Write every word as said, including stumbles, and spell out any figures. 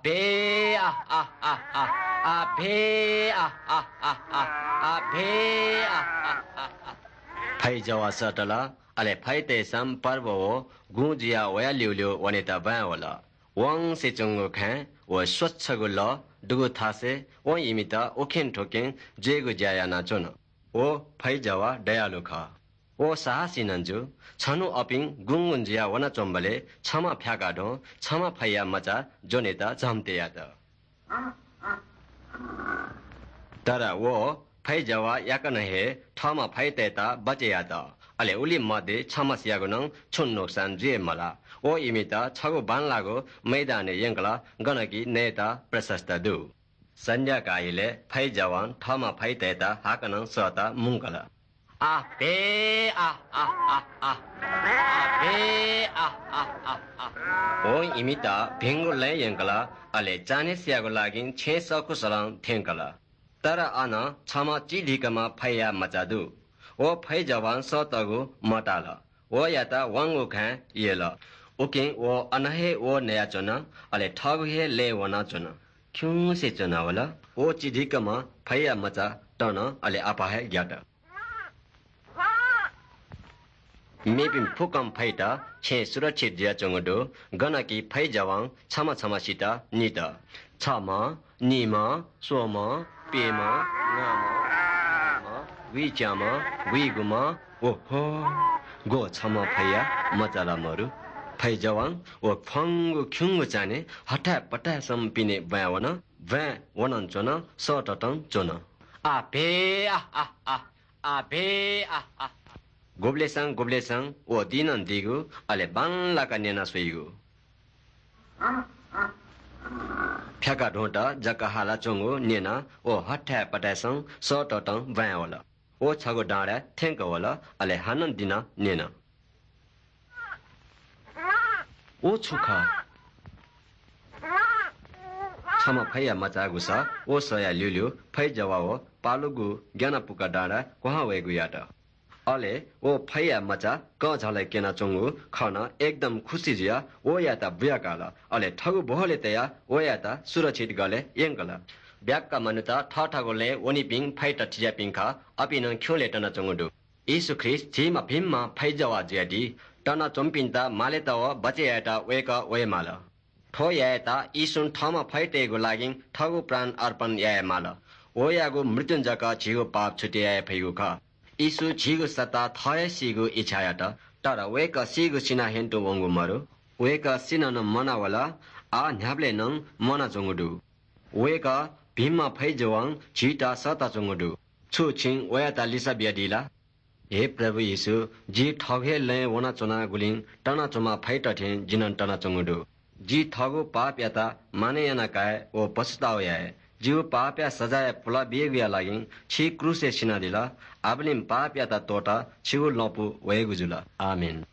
भे आ, आ, आ, आ, आ, भे आ, आ, आ, आ, आ, भे आ, आ, आ, आ। फैजवाः सःतल, अले फैतय्‌सं पर्व व गुँ जुयाः वया ल्यूल्यू वनेत ब्वाँय् वल। वंसे च्वंगु खँय् व स्वच्छगु लः दुगु थासय् वं इमित उखें थुखें जुइगु ज्या यानाच्वन। व फैजवाः दयालु खः। व साहसी नं जू। छन्हु अपिं गुँगुँ जुयाः वनाच्वंबलय् छम्ह फ्याकाधुं छम्ह फैया मचा ज्वनेत झम्ते यात। तर व फैजवाः याकनं हे थःम्ह फैतय्‌त बचय् यात। अले उलि मध्ये छम्हसियागु नं छुं नोक्सान जुइ मलाः। व इमित छगू बांलाःगु मैदानय् यंकल, गन कि नयेत प्रशस्त दु। सन्ध्याकाः इलय् फैजवालं थःम्ह फैतय्‌त हाकनं सःता मुंकल। आ, भे, आ, आ, आ, आ। आ, भे, आ, आ, आ, आ। वं इमित भिंगु लँय् यंकल, अले चान्हय्‌सियागु लागिं छेँ सःखुसलं थ्यंकल। तर अन छम्ह चिधिकम्ह फैया मचा दु। व फैजवालं सःतःगु मताल। वयात वंगु खँय् यल। उकिं व अन हे वः नयाच्वन, अले थःगु हे लँय् वनाच्वन। खिउँसे च्वनावल। व चिधिकम्ह फैया मचा तन, अले अपाः हे ग्यात। मेपिं फुक्कं फैत छेँ सुरक्षित जुयाच्वंगु दु, गन कि फैजवालं छम्ह छम्हसित नित। छम्ह, निम्ह, स्वम्ह, प्यम्ह, न्गाम्ह, गुइच्याम्ह, गुइगुम्ह, ओहो, ग्व छम्ह फैया मचा ला मरु। फैजवालं व फ्वंगु खिउँगु चान्हय् हथाय् पथाय्‌सं पिने ब्वाँय् वन। ब्वाँय् वनं च्वन, सःततं च्वन। आ, भे, आ, आ, आ, आ, भे, आ, आ, आ। गुबलेसं गुबलेसं व दिनं दीगु, अले बांलाक न्यना स्वइगु। फ्याकाधुंत जक हालाच्वंगु न्यनाः व हथाय् पथाय्‌सं सःततं ब्वाँय् वल। व छगू डाँडाय् थ्यंक वल, अले हानं दिनं न्यन। व छु खः? छम्ह फैया मचा गुसा व सःया ल्यूल्यू फैजवाः व पालुगु ग्यानापुक डाँडाय् क्वहां वयेगु यात। अले व फैया मचा कःझालय् क्यनाच्वंगु खनं एकदम खुसी जुयाः वयात बुयाकाल। अले थःगु ब्वहलय् तयाः वयात सुरक्षित गलय् यंकल। ब्याक्क मनूत थःथःगु लँय् वनीपिं फैत थिज्याःपिं खः, अपिं नं खिउँलय् तनाच्वंगु दु। येशू ख्रीष्ट झीम्ह भिंम्ह फैजवाः जुयादी। तनाच्वंपिन्त मालेत व बचय् यायेत वय्‌कः वयेमाल। थ्व यायेत येशूं थःम्ह फैतय्‌गु लागिं थःगु प्राण अर्पण यायेमाल। वयागु मृत्युं जक झीगु पाप छुटे याये फइगु खः। येशू झीगु सत्ता थः हे सीगु इच्छा यात, तर वय्‌कः सीगु सिनाः ह्यंतुं वंगु मरु। वय्‌कः सिनानं म्वानावल, आः न्ह्याबलें नं म्वानाच्वंगु दु। वय्‌कः भिंम्ह फैजवालं झीत सःताच्वंगु दु। छु छिं वयात लिसः बियादी ला? हे प्रभु येशू, जि थःगु हे लँय् वनाच्वनागुलिं तनाच्वंम्ह फैत थें जि नं तनाच्वंगु दु। जि थःगु पापयात मानय् याना काये व पश्चाताप याये। जिगु पापया सजाय पुलाबीगुया लागिं छि क्रूसय् सिनादिल। आबलें पापयात त्वःताः छिगु लँपु वयेगु जुल। आमेन।